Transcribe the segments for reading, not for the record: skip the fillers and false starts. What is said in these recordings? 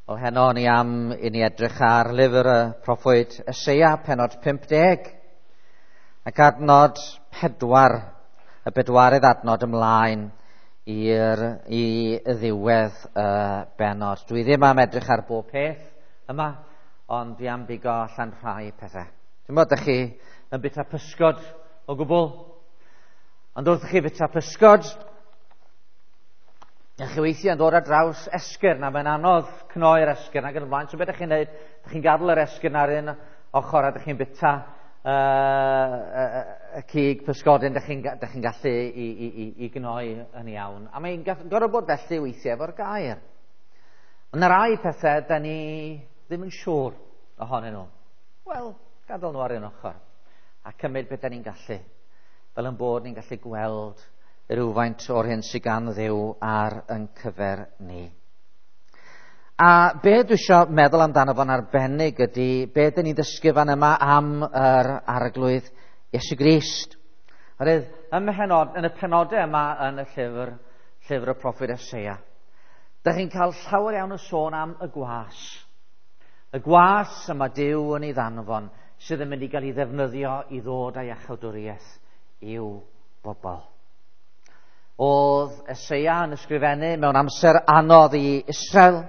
Wel, heno ni am i ni edrych ar lyfr y proffwyd Eseia, pennod 50, ac adnod 4, y bedwaredd adnod ymlaen i ddiwedd y bennod. Dwi ddim am edrych ar bob peth yma, ond dwi am bigo allan rhai pethau. Dwi'n meddwl, ydych chi yn byta pysgod o gwbl? Ond wrth i chi byta pysgod, ydych chi weithiau yn dod ar draws esgyrn, a mae'n anodd cnoi'r esgyrn ac yn y blaen. So beth ydych chi'n neud? Ydych chi'n gadael yr esgyrn ar un ochr a ydych chi'n byta y cig pysgodyn, ydych chi'n gallu i gnoi yn iawn. A mae'n gorfod bod felly weithiau efo'r gair. Ond yna rai pethau da ni ddim yn siŵr ohonyn nhw. Wel, gadael nhw ar un ochr a cymryd beth da ni'n gallu, fel yn bod ni'n gallu gweld rhywfaint o'r hyn sydd gan Dduw ar yn cyfer ni. A be dwi eisiau meddwl amdano fo'n arbennig ydy be dyn ni'n dysgu fan yma am yr Arglwydd Iesu Grist. Oherwydd yn y penodau yma yn y llyfr y proffwyd Eseia, dych chi'n cael llawer iawn o sôn am y gwas. Y gwas yma Duw yn ei ddanfon sydd yn mynd i gael ei ddefnyddio i ddod â iachawdwriaeth i'w bobl. Oedd Eseia yn ysgrifennu mewn amser anodd i Israel.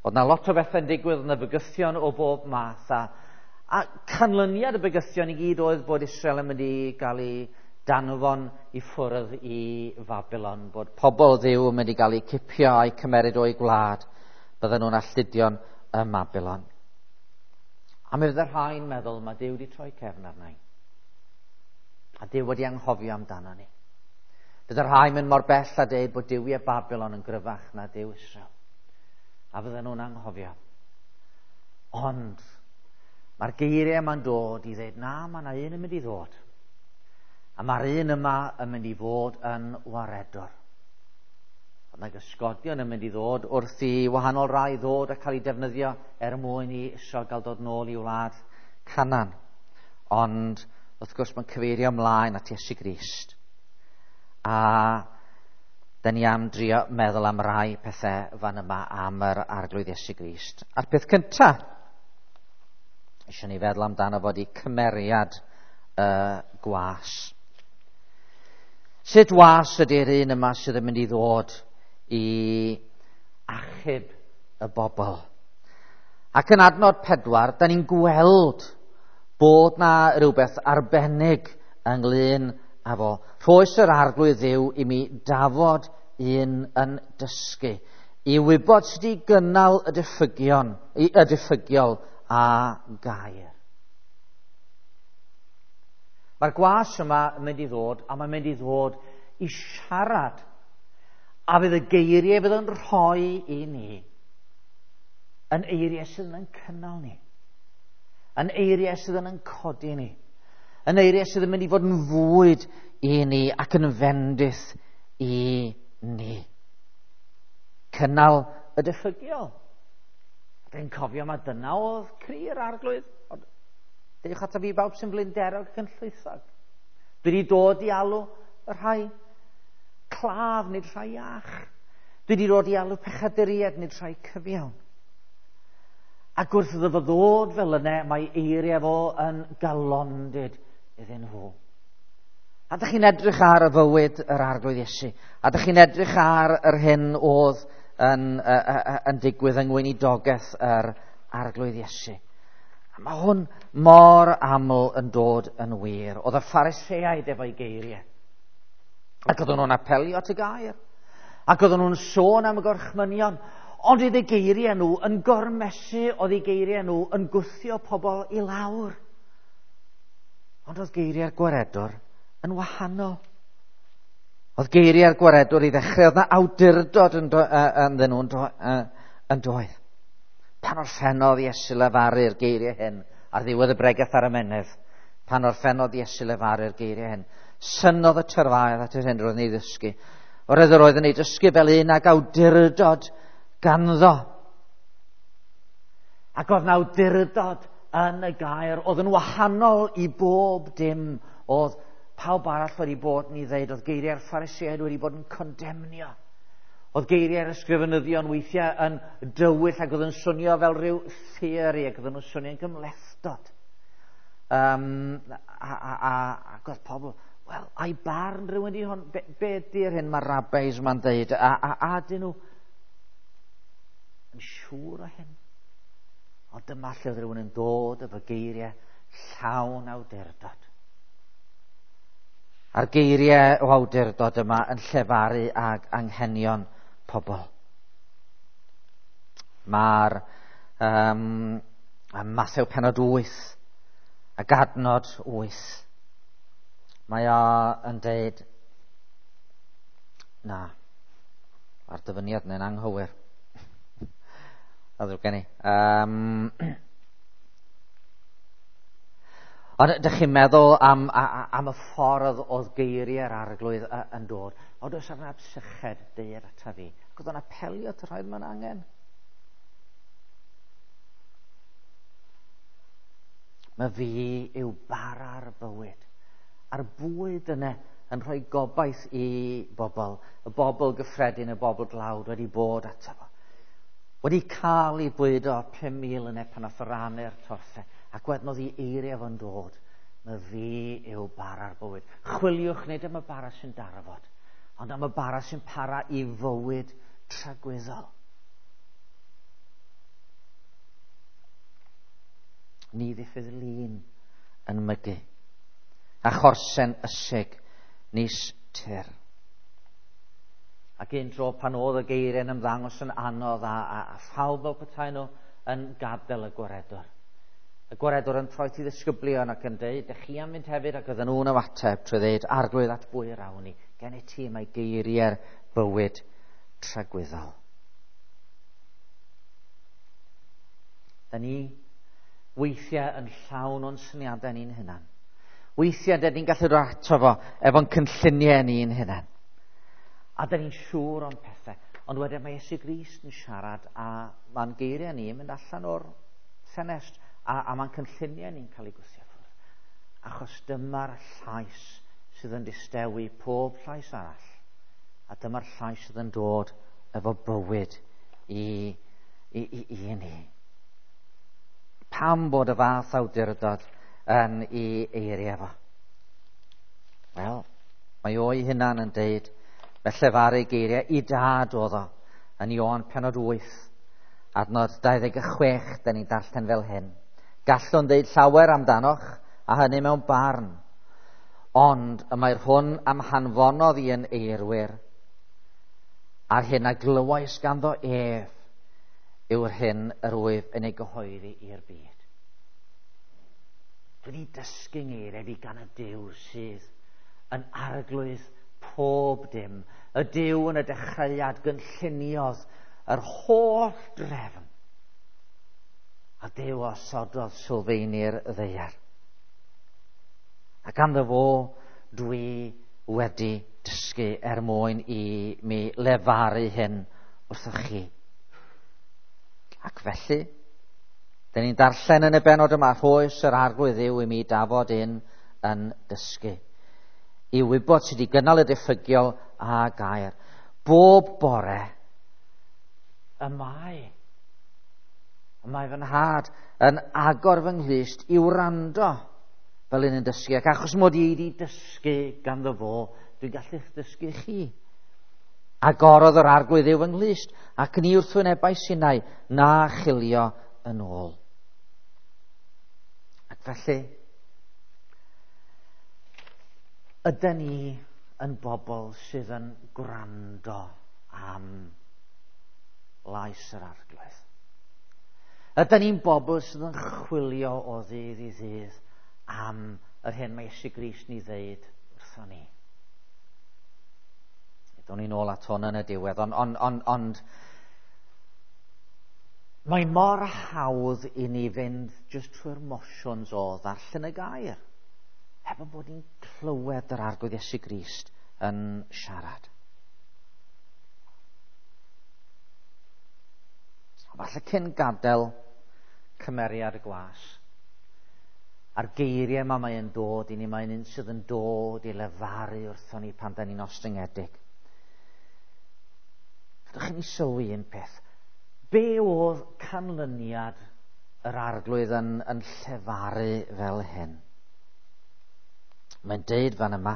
Oedd na lot o bethau'n digwydd, oedd na bygythion o bob math. A canlyniad y bygythion i gyd oedd bod Israel yn mynd i gael ei danfon i ffwrdd i Babylon, bod pobl Dduw yn mynd i gael eu cipio a'u cymeryd o'i gwlad, bydden nhw'n alltudion ym Babylon. A mi fydde rhai'n meddwl, mae Duw wedi troi cefn arna i. A Duw wedi anghofio amdano ni. Bydde rhai'n mynd mor bell a deud bod duwiau Babylon yn gryfach na Duw Israel. A fydden nhw'n anghofio. Ond mae'r geiriau yma'n dod i ddeud, na, mae yna un yn mynd i ddod. A mae'r un yma yn mynd i fod yn waredwr. Ond mae gysgodion yn mynd i ddod wrth i wahanol rai ddod a cael eu defnyddio er mwyn i Israel gael dod nôl i wlad Canaan. Ond wrth gwrs mae'n cyfeirio ymlaen at Iesu Grist. A da ni am drio meddwl am rai pethau fan yma am yr Arglwydd Iesu Grist. A'r peth cyntaf, eisiau ni feddwl amdano fod i cymeriad y gwas. Sut was ydy'r un yma sydd yn mynd i ddod i achub y bobl? Ac yn adnod 4, da ni'n gweld bod na rhywbeth arbennig ynglyn â fo. Rhoes yr Arglwydd Dduw i mi dafod un yn dysgu, i wybod sut i gynnal y diffygion, y diffygiol a gair. Mae'r gwas yma yn mynd i ddod, a mae'n mynd i ddod i siarad, a fydd y geiriau fydd yn rhoi i ni yn eiriau sydd yn cynnal ni, yn eiriau sydd yn codi ni, yn eiriau sydd yn mynd i fod yn fwyd i ni ac yn fendith i ni. Cynnal y diffygiol. Dwi'n cofio mae dyna oedd cri'r Arglwydd. Dewch ata fi bawb sy'n flinderog ac yn llwythog. Dwi wedi dod i alw y rhai claf, nid rhai iach. Dwi wedi dod i alw pechaduriaid, nid rhai cyfiawn. Ac wrth iddo fo ddod fel yna, mae eiriau fo yn galondid iddyn nhw. A dych chi'n edrych ar y fywyd yr Arglwydd Iesu. A dych chi'n edrych ar yr hyn oedd yn digwydd yng ngweinidogaeth yr Arglwydd Iesu. A mae hwn mor aml yn dod yn wir. Oedd y Phariseaid efo'i geiriau. Ac oedden nhw'n apelio at y gair. Ac oedden nhw'n sôn am y gorchmynion. Ond oedd eu geiriau nhw yn gormesu, oedd eu geiriau nhw yn gwthio pobl i lawr. Ond oedd geiriau'r gwaredwr yn wahanol. Oedd geiriau'r gwaredwr i ddechrau, oedd na awdurdod ynddyn nhw yn doedd. Pan orffennodd Iesu lefaru'r geiriau hyn, ar ddiwedd y bregeth ar y mynydd, pan orffennodd Iesu lefaru'r geiriau hyn, synnodd y tyrfaoedd at yr hyn roedd yn ei ddysgu. Oherwydd yr oedd yn ei dysgu fel un ag awdurdod ganddo. Ac oedd na awdurdod yn y gair, oedd yn wahanol i bob dim oedd pawb arall wedi bod yn ei ddeud, oedd geiriau'r Phariseaid wedi bod yn condemnio. Oedd geiriau'r ysgrifenyddion weithiau yn dywyll ac oedd yn swnio fel rhyw theori ac oedd nhw'n swnio'n gymhlethdod. Ac oedd pobl, wel, a'i barn rhywun di hwn, be di'r hyn mae'r rabbis ma'n dweud, a dyn nhw yn siŵr o hyn? Ond dyma lle oedd rhywun yn dod efo geiriau llawn awdurdod. A'r geiriau o awdurdod yma yn llefaru ag anghenion pobl. Mae'r Mathew penod 8 ac adnod 8. Mae o yn deud, na, mae'r dyfyniad yna'n anghywir. A ddrwg gen i. Ond ydych chi'n meddwl am y ffordd oedd geiriau'r Arglwydd yn dod? Ond oes arna syched deued ata fi. Ac oedd o'n apelio at y rhai mewn angen. Mae fi yw bara'r bywyd. A'r bwyd yna yn rhoi gobaith i bobl. Y bobl gyffredin, y bobl dlawd wedi bod ato fo. Wedi cael ei bwydo 5,000 yna pan nath o rannu'r torthau. Ac wedyn oedd ei eiriau fo'n dod. Mae fi yw bara'r bywyd. Chwiliwch nid am y bara sy'n darfod, ond am y bara sy'n para i fywyd tragwyddol. Ni ddiffydd lun yn mygu, a chorsen ysig nis tir. Ac un tro pan oedd y geiriau'n ymddangos yn anodd a phawb fel petai nhw yn gadael y gwaredwr. Y gwaredwr yn troi i ddisgyblion ac yn dweud, dych chi am fynd hefyd, ac oedden nhw'n ymateb trwy dweud, Arglwydd, at bwy yr awn ni? Gen i ti mae geiriau'r bywyd tragwyddol. Da ni weithiau yn llawn o'n syniadau ni'n hunan. Weithiau da ni'n gallu dod ato fo efo'n cynlluniau ni'n hunan. A da ni'n siŵr o'n pethau. Ond wedyn mae Iesu Grist yn siarad a mae'n geiriau ni yn mynd allan o'r ffenest a mae'n cynlluniau ni'n cael ei gwthio ffwrdd. Achos dyma'r llais sydd yn distewi pob llais arall. A dyma'r llais sydd yn dod efo bywyd i ni. Pam bod y fath awdurdod yn ei eiriau fo? Wel, mae o'i hunan yn deud, fe llefaru geiriau i dad oedd o, yn Ioan penod 8, adnod 26, da ni'n darllen fel hyn. Gallwn ddeud llawer amdanoch, a hynny mewn barn, ond y mae'r hwn am hanfonodd i yn eirwyr, a'r hyn a glywais ganddo ef yw'r hyn yr wyf yn ei gyhoeddi i'r byd. Dwi wedi dysgu ngeiriau fi gan y Duw sydd yn arglwydd pob dim. Y Duw yn y dechreuad gynlluniodd yr holl drefn. A Duw osododd sylfaeni'r ddaear. A ganddo fo dwi wedi dysgu er mwyn i mi lefaru hyn wrthoch chi. Ac felly, dyn ni'n darllen yn y benod yma, rhoes yr Arglwydd Dduw i mi dafod un yn dysgu. I wybod sydd wedi gynnal y diffygiol a gair. Bob bore, y mae fy nhad yn agor fy nghlust i wrando fel un yn dysgu. Ac achos mod i wedi dysgu ganddo fo, dwi'n gallu dysgu chi. Agorodd yr Arglwydd Dduw fy nghlust, ac ni wrthwynebau sinau na chilio yn ôl. Ac felly, ydyn ni yn bobl sydd yn gwrando am lais yr Arglwydd? Ydyn ni'n bobl sydd yn chwilio o ddydd i ddydd am yr hyn mae Iesu Grist ni ddeud wrthon ni? Do'n ni'n ôl at hwn yn y diwedd, ond mae mor hawdd i ni fynd just trwy'r motions o ddarllen y gair, heb yn bod ni'n clywed yr Arglwydd Iesu Grist yn siarad. Falle cyn gadael cymeriad y gwas, a'r geiriau yma mae'n dod i ni, mae'n un sydd yn dod i lefaru wrthon ni pan da ni'n ostyngedig. Gadwch i ni sylwi un peth. Be oedd canlyniad yr arglwydd yn llefaru fel hyn? Mae'n deud fan yma,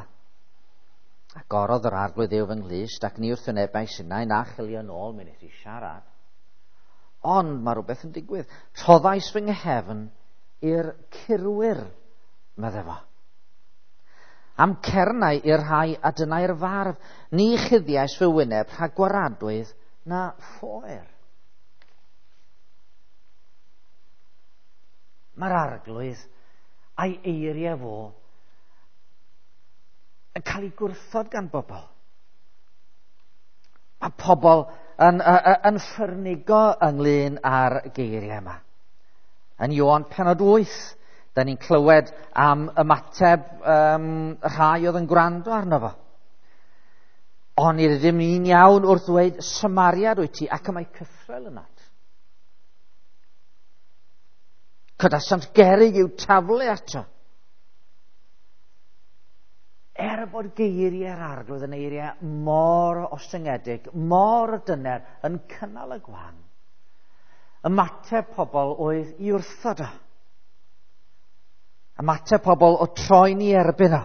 agorodd yr arglwydd Dduw fy nghlust ac ni wrthwynebais innau na chilio nôl, mi nes i siarad. Ond mae rhywbeth yn digwydd. Rhoddais fy nghefn i'r curwyr, medde fo. Am cernau i'r rhai a dynnai'r farf, ni chuddiais fy wyneb rhag gwaradwydd na phoer. Mae'r arglwydd a'i eiriau fo yn cael ei gwrthod gan bobl. Mae pobl yn ffyrnigo ynglyn â'r geiriau yma. Yn Ioan penod 8, da ni'n clywed am ymateb rhai oedd yn gwrando arno fo. Ond nid ydym ni'n iawn wrth ddweud Samariad wyt ti, ac y mae cythrel ynot. Codasant gerrig i'w taflu ato. Er bod geiriau'r arglwydd yn eiriau mor ostyngedig, mor dyner, yn cynnal y gwan, ymateb pobl oedd i wrthod o. Ymateb pobl o troi'n i erbyn o.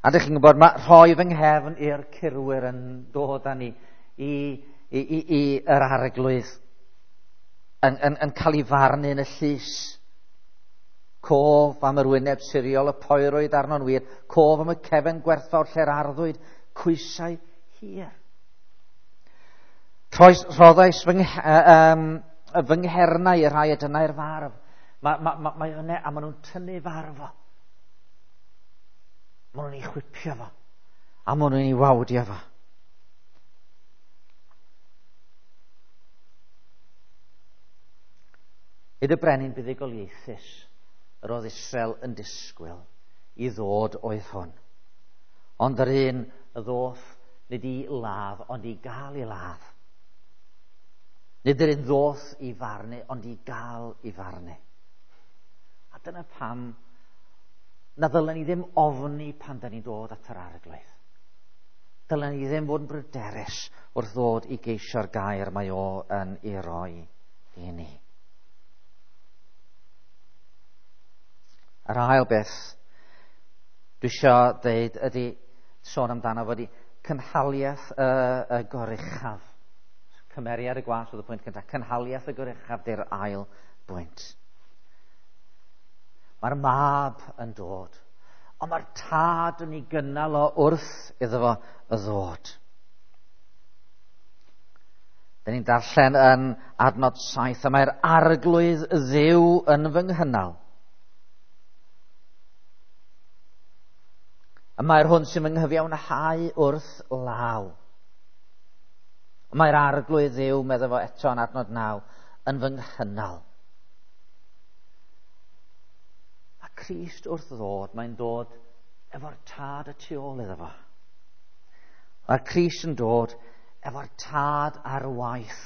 A dych chi'n gwybod, mae rhoi fy nghefn i'r curwyr yn dod â ni i yr arglwydd yn cael ei farnu yn y llys. Cof am yr wyneb siriol y poerwyd arno'n wir, cof am y cefn gwerthfawr lle'r arddwyd, cwysau hir. Rhoddais fy nghernau i'r rhai a dynnai'r farf. Mae yna, a maen nhw'n tynnu farf o. Maen nhw'n ei chwipio fo. A maen nhw'n ei wawdio fo. Nid y brenin buddugoliaethus yr oedd Israel yn disgwyl i ddod oedd hwn. Ond yr un y ddoth nid i ladd, ond i gael ei ladd. Nid yr un ddoth i farnu, ond i gael ei farnu. A dyna pam na ddylen ni ddim ofni pan da ni'n dod at yr arglwydd. Dylen ni ddim fod yn bryderus wrth ddod i geisio'r gair mae o yn ei roi i ni. Yr ail beth dwi eisiau dweud ydy sôn amdano fod i cynhaliaeth y goruchaf. Cymeriad y gwas oedd y pwynt cyntaf. Cynhaliaeth y goruchaf di'r ail bwynt. Mae'r mab yn dod, ond mae'r tad yn ei gynnal o wrth iddo fo y ddod. Dyn ni'n darllen yn adnod 7, a mae'r arglwydd Dduw yn fy nghynnal. A mae'r hwn sy'n fy nghyfiawnhau wrth law. Mae'r arglwydd Dduw, medda fo eto yn adnod 9, yn fy nghynnal. A Crist wrth ddod, mae'n dod efo'r tad y tu ôl iddo fo. Mae'r Crist yn dod efo'r tad ar waith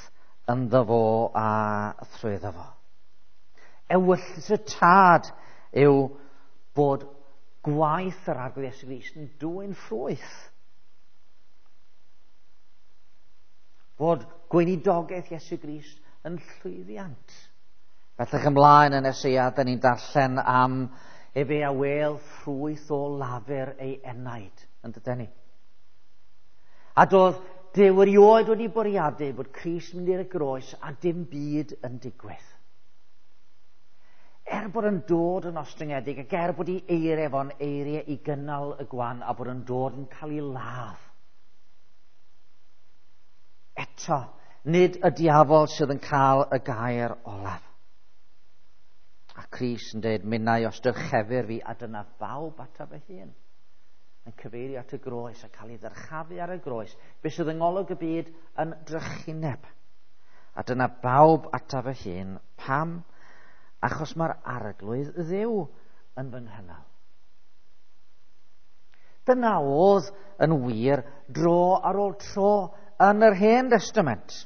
ynddo fo a thrwyddo fo. Ewyllys y tad yw bod gwaith yr Arglwydd Iesu Grist yn dwyn ffrwyth. Bod gweinidogaeth Iesu Grist yn llwyddiant. Bellach ymlaen yn Eseia, da ni'n darllen am efe a wêl ffrwyth o lafur ei enaid, yn dydyn ni. A doedd Duw erioed wedi bwriadu bod Crist mynd i'r groes a dim byd yn digwydd. Er bod yn dod yn ostyngedig ac er bod ei eiriau fo'n eiriau i gynnal y gwan a bod yn dod yn cael ei ladd. Eto, nid y diafol sydd yn cael y gair olaf. A Crist yn dweud, minnau os dyrchefir fi a dyna bawb ataf fy hun. Yn cyfeirio at y groes a cael ei ddyrchafu ar y groes. Be sydd yng ngolwg y byd yn drychineb. A dyna bawb ataf fy hun. Pam? Achos mae'r arglwydd Dduw yn fy nghynnal. Dyna oedd yn wir dro ar ôl tro yn yr Hen Testament.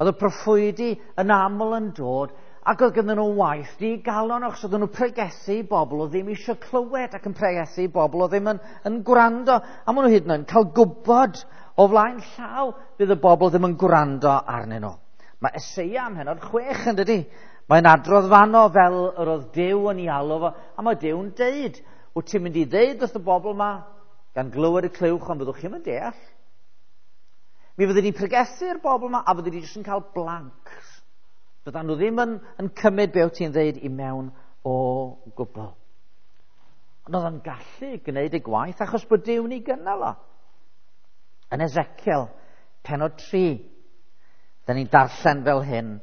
Oedd y proffwydi yn aml yn dod ac oedd ganddyn nhw waith digalon achos oedden nhw'n pregethu i bobl oedd ddim eisiau clywed ac yn pregethu i bobl oedd ddim yn gwrando. A maen nhw hyd yn oed yn cael gwybod O flaen llaw bydd y bobl ddim yn gwrando arnyn nhw. Mae Eseia ym mhennod 6 yn dydy. Mae'n adrodd fanno fel yr oedd Duw yn ei alw fo, a mae Duw'n deud, wyt ti'n mynd i ddeud wrth y bobl yma, gan glywed y clywch, ond byddwch chi'm yn deall. Mi fyddi di'n pregethu'r bobl yma, a fyddi di jyst yn cael blanks. Byddan nhw ddim yn cymryd be wyt ti'n ddeud i mewn o gwbl. Ond oedd o'n gallu gwneud y gwaith achos bod Duw'n ei gynnal o. Yn Ezekiel, pennod 3, da ni'n darllen fel hyn.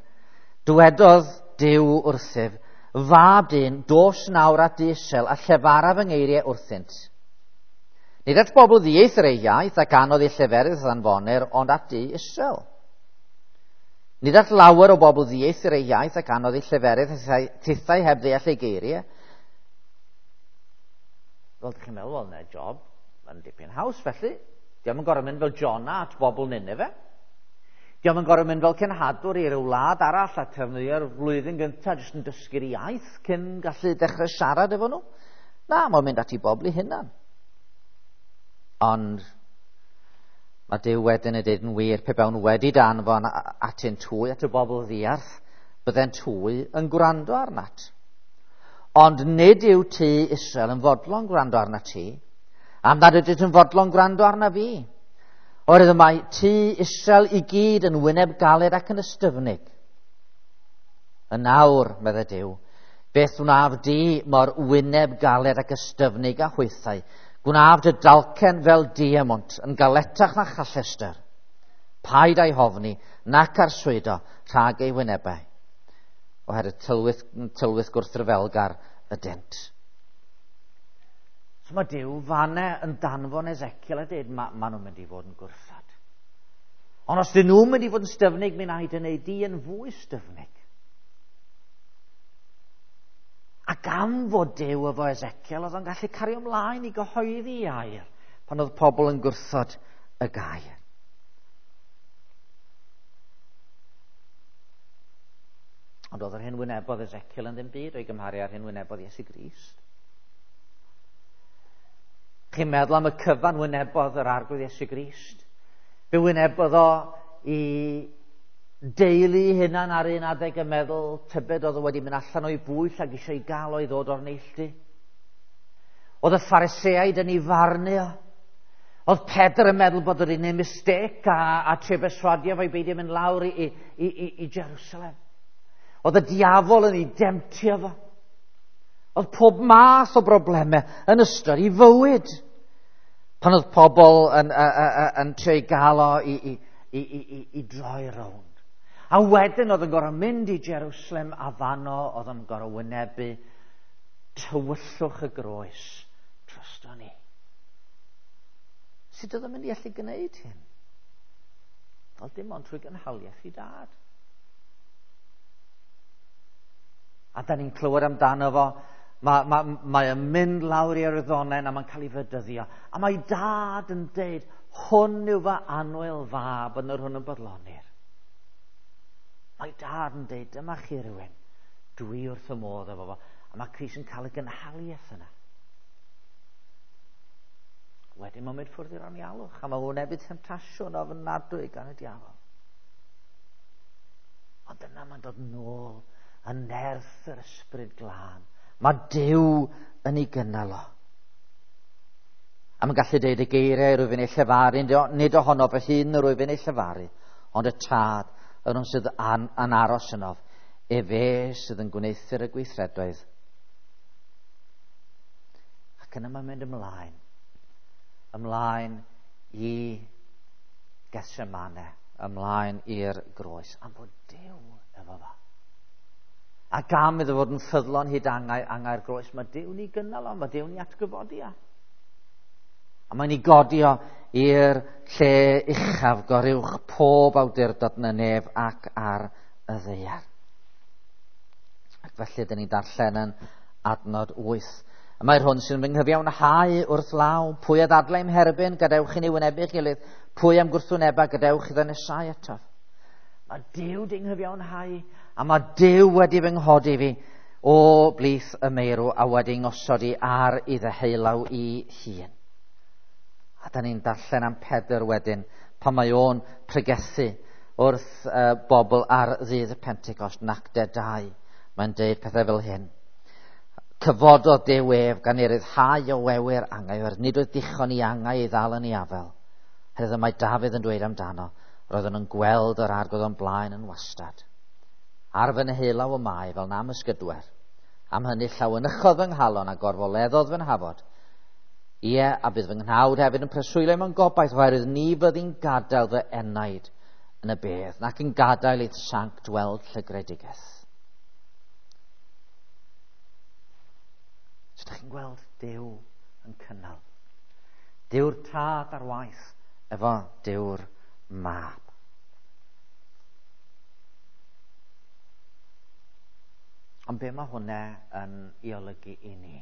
Dywedodd Duw wrthyf, fab dyn, dos nawr at Israel a llefara fy ngeiriau wrthynt. Nid at bobl ddieithr eu iaith ac anodd eu lleferydd anfonir, ond at dŷ Israel. Nid at lawer o bobl ddieithr eu iaith ac anodd eu lleferydd tithau heb ddeall eu geiriau. Fel ydych chi'n meddwl, wel, na job, mae'n dipyn haws felly. Diolch yn gorfod mynd fel Jonah at bobl Nineveh. Diolch yn gorfod mynd fel cenhadwr i ryw wlad arall a trefnu'r flwyddyn gyntaf jyst yn dysgu'r iaith cyn gallu dechrau siarad efo nhw. Na, mae'n mynd at i bobl i hunan. Ond mae Duw wedyn yn dweud yn wir, pe bawn wedi danfon atynt hwy, at y bobl ddiarth, byddent hwy yn gwrando arnat. Ond nid yw tŷ Israel yn fodlon gwrando arnat ti, am nad ydynt yn fodlon gwrando arna fi. Oherwydd mae tŷ Israel i gyd yn wyneb galed ac yn ystyfnig. Yn awr, meddai Duw, beth wnaf di mor wyneb galed ac ystyfnig a hwythau? Gwnaf dy dalcen fel diamont, yn galetach na challester. Paid a'i hofni, nac arswydo rhag ei wynebau. Oherwydd tylwyth gwrthryfelgar ydynt. So mae Duw fanne yn danfon Ezekiel a dweud, ma nhw'n mynd i fod yn gwrthod. Ond os dyn nhw'n mynd i fod yn styfnig, mi wna i dy wneud di yn fwy styfnig. Ac am fod Duw efo Ezekiel, oedd o'n gallu cario ymlaen i gyhoeddi air pan oedd pobl yn gwrthod y gair. Ond oedd yr hyn wynebodd Ezekiel yn ddim byd o'i gymharu â'r hyn wynebodd Iesu Grist. Chi'n meddwl am y cyfan wynebodd yr Arglwydd Iesu Grist? Fe wynebodd o i deulu hunan ar un adeg yn meddwl tybed oedd o wedi mynd allan o'i bwyll ac eisiau ei gael o'i ddod o'r neilltu. Oedd y Phariseaid yn ei farnu o. Oedd Pedr yn meddwl bod oedd hi'n mistake a trio berswadio fo i beidio mynd lawr i Jerusalem. Oedd y diafol yn ei demtio fo. Oedd pob math o broblemau yn ystod ei fywyd. Pan oedd pobl yn trio ei gael o i droi rownd. A wedyn oedd yn gorfod mynd i Jerusalem a fanno oedd yn gorfod wynebu tywyllwch y groes drosto ni. Sut oedd yn mynd i allu gwneud hyn? Wel, dim ond trwy gynhaliaeth i dad. A da ni'n clywed amdano fo, mae yn mynd lawr i'r ddonen a mae'n cael ei fedyddio. A mae dad yn deud, hwn yw fy annwyl fab yn yr hwn yn bodlonir. Mae dad yn deud, dyma chi rhywun, dwi wrth y modd efo fo. A mae Crist yn cael y gynhaliaeth yna. Wedyn mae'n mynd ffwrdd i'r anialwch, a mae'n wynebu temtasiwn ofnadwy gan y diafol. Ond yna mae'n dod nôl yn nerth yr ysbryd glân. Mae Duw yn ei gynnal o. A mae'n gallu deud y geiriau rwyf yn ei llefaru, nid ohono fy hun rwyf yn ei llefaru, ond y tad, yr hwn sydd yn aros ynof, efe sydd yn gwneuthur y gweithredoedd. Ac yna mae'n mynd ymlaen i Gethsemane, ymlaen i'r groes, am fod Duw efo fo. Ac am iddo fod yn ffyddlon hyd angau'r groes, mae Duw'n ei gynnal o, mae Duw'n ei atgyfodi o. A mae'n ei godi o i'r lle uchaf goruwch pob awdurdod yn y nef ac ar y ddaear. Ac felly, dyn ni'n darllen yn adnod 8. A mae'r hwn sy'n fy nghyfiawnhau wrth law, pwy a ddadlau i'm herbyn, gadewch i ni wynebu'ch gilydd, pwy am gwrthwyneba, gadewch iddo nesau atof. Mae Duw di nghyfiawnhau, a mae Duw wedi fy nghodi fi o blith y meirw a wedi ngosod i ar i ddeheulaw i hun. A da ni'n darllen am Pedr wedyn pan mae o'n pregethu wrth bobl ar ddydd y Pentecost yn Actau 2. Mae'n deud pethau fel hyn. Cyfododd Duw ef gan ei ryddhau o wewyr angau, oherwydd nid oedd dichon i angau ei ddal yn ei afel. Herwydd mae Dafydd yn dweud amdano, roeddwn yn gweld yr arglwydd o'n blaen yn wastad. Ar fy nheulaw y mae fel nam ysgydwer. Am hynny llawenychodd fy nghalon a gorfoleddodd fy nhafod. Ie, a bydd fy nghnawd hefyd yn preswylio mewn gobaith, oherwydd ni fyddi'n gadael fy enaid yn y bedd, nac yn gadael i'th sanct weld llygredigaeth. So, ydych chi'n gweld Duw yn cynnal. Duw'r tad ar waith efo Duw'r mab. Ond be mae hwnna yn ei olygu i ni?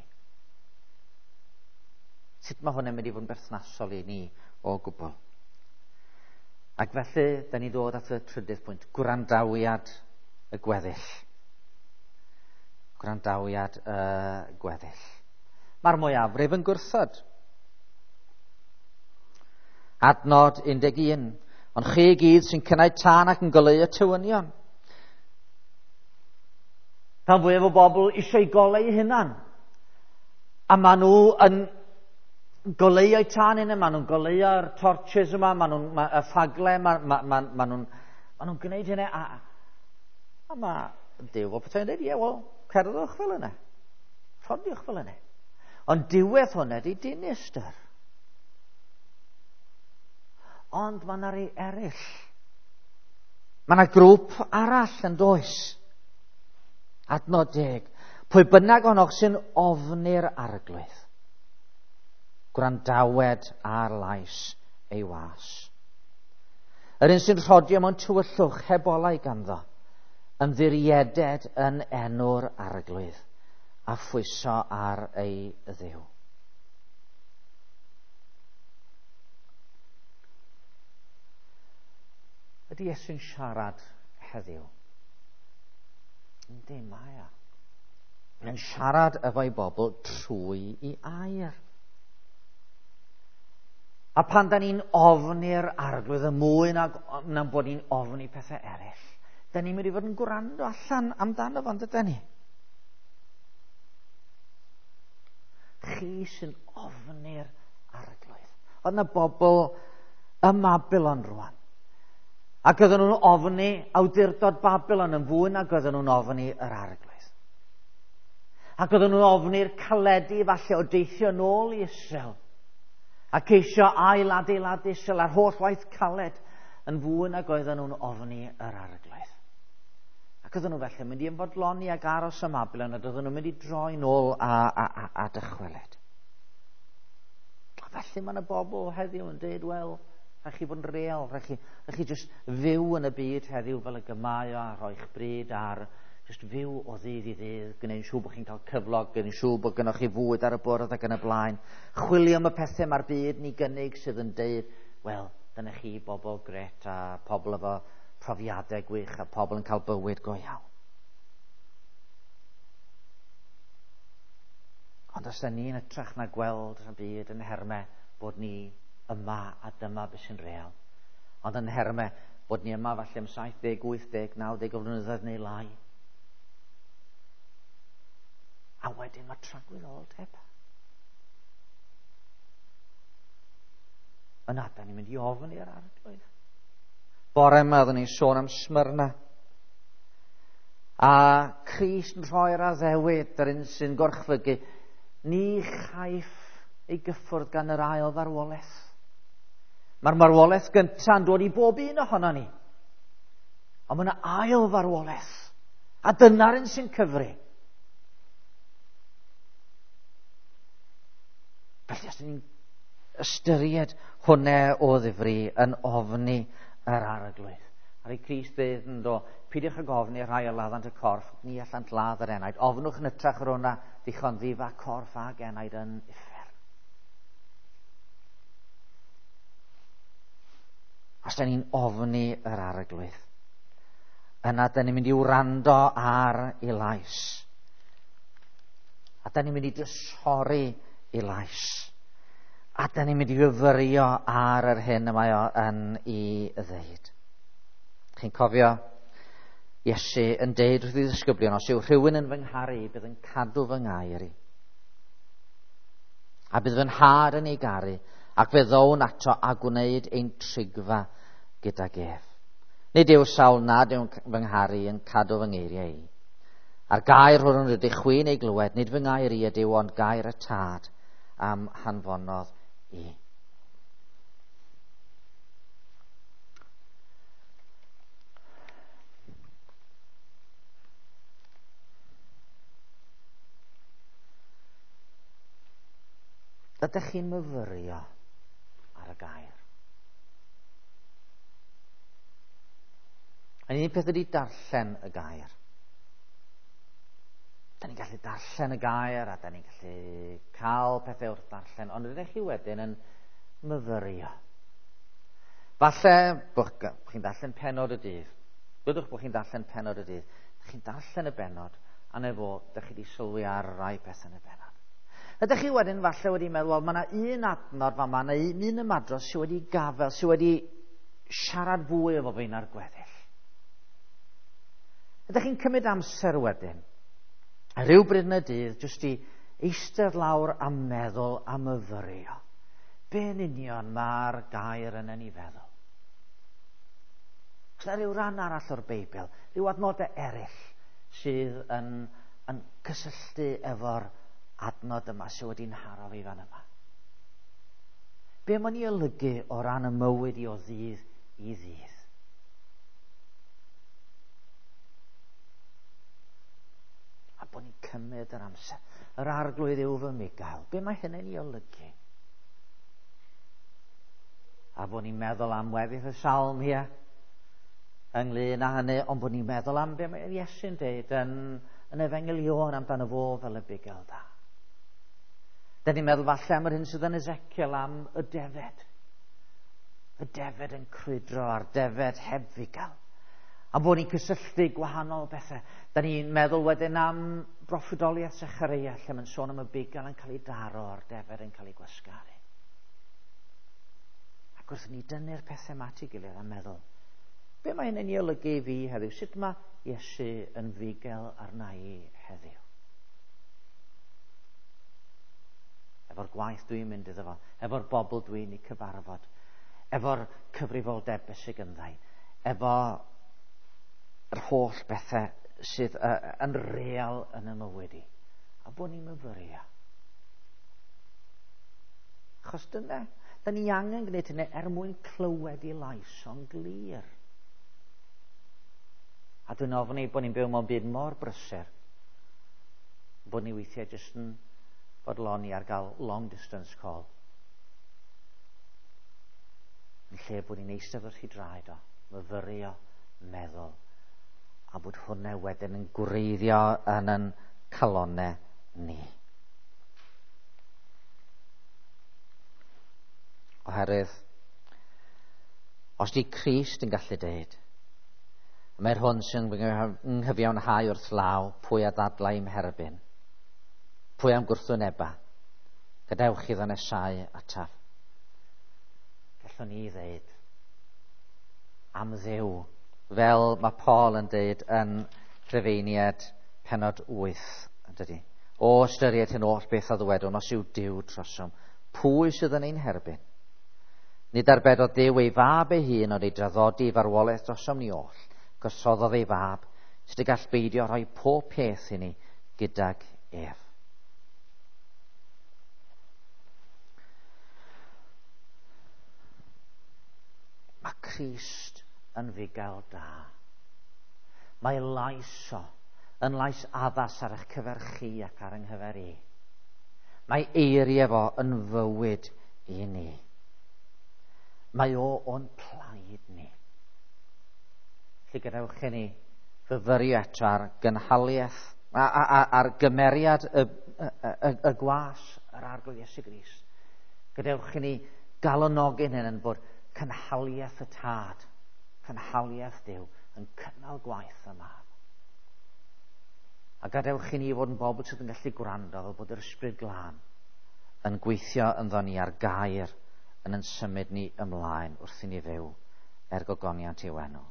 Sut mae hwnna'n mynd i fod yn berthnasol i ni o gwbl? Ac felly, da ni ddod at y trydydd pwynt, gwrandawiad y gweddill. Gwrandawiad y gweddill. Mae'r mwyafrif yn gwrthod. Adnod 11. Ond chi i gyd sy'n cynnau tân ac yn goleuo tywynion. Rhan fwyaf o bobl eisiau goleu eu hunan. A maen nhw yn goleuo'u tân hynny, maen nhw'n goleuo'r torches yma, maen nhw'n y ffagle, maen nhw'n gwneud hynny. A mae Duw o pethau'n dweud, ie, wel, cerddwch fel yna. Rhodiwch fel yna. Ond diwedd hwnna ydy dinistr. Ond mae yna rei eraill. Mae yna grŵp arall yn does. Adnod 10. Pwy bynnag ohonoch sy'n ofni'r arglwydd, gwrandawed ar lais ei was. Yr un sy'n rhodio mewn tywyllwch heb olau ganddo, ymddirieded yn enw'r arglwydd a phwyso ar ei Dduw. Ydy Iesu'n siarad heddiw? Yndi, mae o. Mae'n siarad efo'i bobl trwy i air. A pan da ni'n ofni'r arglwydd y mwy nag na'n bod ni'n ofni pethau eraill, da ni'n mynd i fod yn gwrando allan amdano fo, yndydan ni? Chi sy'n ofni'r arglwydd. Oedd yna bobl ym Mabilon rwan. Ac oedden nhw'n ofni awdurdod Babilon yn fwy nag oedden nhw'n ofni yr arglwydd. Ac oedden nhw'n ofni'r caledu falle o deithio nôl i Israel. A ceisio ailadeiladu Israel a'r holl waith caled yn fwy nag oedden nhw'n ofni yr arglwydd. Ac oedden nhw felly mynd i ymfodloni ag aros ym Mabilon, a oedden nhw'n mynd i droi nôl a dychwelyd. A felly mae yna bobl heddiw yn dweud, wel, rhaid chi fod yn real, rhaid chi just fyw yn y byd heddiw fel y gymau o a rhoi'ch bryd ar just fyw o ddydd i ddydd, gwneud siŵr bod chi'n cael cyflog, gwneud siŵr bod gynnwch chi fwyd ar y bwrdd ac yn y blaen. Chwilio am y pethau mae'r byd ni gynnig sydd yn deud, wel, dyna chi bobl gret a pobl efo profiadau gwych a pobl yn cael bywyd go iawn. Ond os da ni'n ytrach na gweld y byd yn hermau bod ni yma a dyma beth sy'n real. Ond yn hermau bod ni yma falle am 70, 80, 90 o flynyddoedd neu lai. A wedyn mae tragwyddoldeb. Yna, da ni'n mynd i ofyn i'r arglwydd. Bore yma oeddwn ni'n sôn am Smyrna. A Crist yn rhoi'r addewid, yr un sy'n gorchfygu, ni chaiff ei gyffwrdd gan yr ail farwolaeth. Mae'r marwolaeth gyntaf yn dod i bob un ohono ni. Ond mae yna ail farwolaeth. A dyna'r un sy'n cyfri. Felly, os ni'n ystyried hwnna o ddifri yn ofni yr arglwydd. Ar ei Crist ddeud yn do, peidiwch ag ofni rhai o laddant y corff, ni allant ladd yr enaid. Ofnwch yn ytrach yr hwnna, ddichon ddifa corff ag enaid yn uffern. Os da ni'n ofni yr arglwydd, yna da ni'n mynd i wrando ar ei lais. A da ni'n mynd i drysori ei lais. A da ni'n mynd i fyfyrio ar yr hyn y mae o yn ei ddeud. Chi'n cofio Iesu yn deud wrth ei ddisgyblion, os yw rhywun yn fy ngharu, bydd yn cadw fy ngair i. A bydd fy nhad yn ei garu, ac fe ddown ato a gwneud ein trigfa gydag ef. Nid yw'r sawl nad yw'n fy ngharu yn cadw fy ngeiriau i. A'r gair hwn rydych chwi'n ei glywed, nid fy ngair i ydyw, ond gair y tad am hanfonodd i. Ydych chi'n myfyrio ar y gair? A un peth ydy darllen y gair. Da ni'n gallu darllen y gair a da ni'n gallu cael pethau wrth darllen, ond ydych chi wedyn yn myfyrio. Falle bod chi'n darllen penod y dydd. Byddwch bod chi'n darllen penod y dydd. Chi'n darllen y benod, a na fo, ydych chi wedi sylwi ar rai pethau yn y benod. Ydych chi wedyn falle wedi meddwl, wel, mae yna un adnod fa, mae yna un ymadrodd sydd wedi gafel, sydd wedi siarad fwy efo fi na'r gweddill. Ydych chi'n cymryd amser wedyn, a rhyw bryd yn y dydd, jyst i eistedd lawr a meddwl a myfyrio. Be yn union mae'r gair yn ei feddwl? Os yna rhyw ran arall o'r Beibl, rhyw adnodau eraill sydd yn, yn cysylltu efo'r adnod yma sydd wedi'n haro fi fan yma. Be mae'n ei olygu o ran y mywyd i o ddydd i ddydd? A bod ni'n cymryd yr amser. Yr arglwydd yw fy migael. Be mae hynny'n ei olygu? A bod ni'n meddwl am weddill y salm hier ynglyn â hynny, ond bod ni'n meddwl am be mae Iesu'n deud yn, yn Efengyl Ioan amdano fo fel y bugail da. Da ni'n meddwl falle am yr hyn sydd yn Ezekiel am y defed. Y defed yn crwydro a'r defed heb fugail. A bod ni'n cysylltu gwahanol bethau. Da ni'n meddwl wedyn am broffwydoliaeth Zechareia lle mae'n sôn am y bugail yn cael ei daro a'r defed yn cael ei gwasgaru. Ac wrth ni dynnu'r pethau yma at ei gilydd a meddwl, be mae hyn yn ei olygu i fi heddiw? Sut mae Iesu yn fugail arna i heddiw? Efo'r gwaith dwi'n mynd iddo fo, efo'r bobl dwi'n ei cyfarfod, efo'r cyfrifoldeb sydd gynddau, efo yr holl bethau sydd yn real yn y mywyd i. A bod ni'n myfyrio. Achos dyna, da ni angen gwneud hynny er mwyn clywed i lais o'n glir. A dwi'n ofni bod ni'n byw mewn byd mor brysur, bod ni weithiau jyst yn bodloni ar gael long distance call. Yn lle bod ni'n eistedd wrth ei draed o, myfyrio, meddwl, a bod hwnna wedyn yn gwreiddio yn yn calonau ni. Oherwydd, os di Crist yn gallu deud, mae'r hwn sy'n nghyfiawnhau wrth law, pwy a ddadlau i'm herbyn, pwy am gwrthwyneba, gadewch iddo nesau ataf. Gallwn ni ddeud am Dduw, fel mae Paul yn deud yn Rhufeiniad penod 8, yn dydy? O ystyried hyn oll beth a ddywedwn, os yw Duw trosom, pwy sydd yn ein herbyn? Nid arbedodd Duw ei fab ei hun, ond ei draddodi i farwolaeth drosom ni oll, gosoddodd ei fab, sut y gall beidio rhoi pob peth i ni gydag ef. Mae Crist yn fugail da. Mae lais o yn lais addas ar eich cyfer chi ac ar yng nghyfer i. Mae eiriau fo yn fywyd i ni. Mae o o'n plaid ni. Felly gadewch i ni fyfyrio eto ar gynhaliaeth, ar gymeriad y, y, y, y gwas yr Arglwydd Iesu Grist. Gadewch i ni galonogi'n hyn yn bod cynhaliaeth y Tad, cynhaliaeth Duw, yn cynnal gwaith y Mab. A gadewch i ni fod yn bobl sydd yn gallu gwrando fel bod yr Ysbryd Glân yn gweithio ynddo ni ar gair yn yn symud ni ymlaen wrth i ni fyw er gogoniant i'w enw.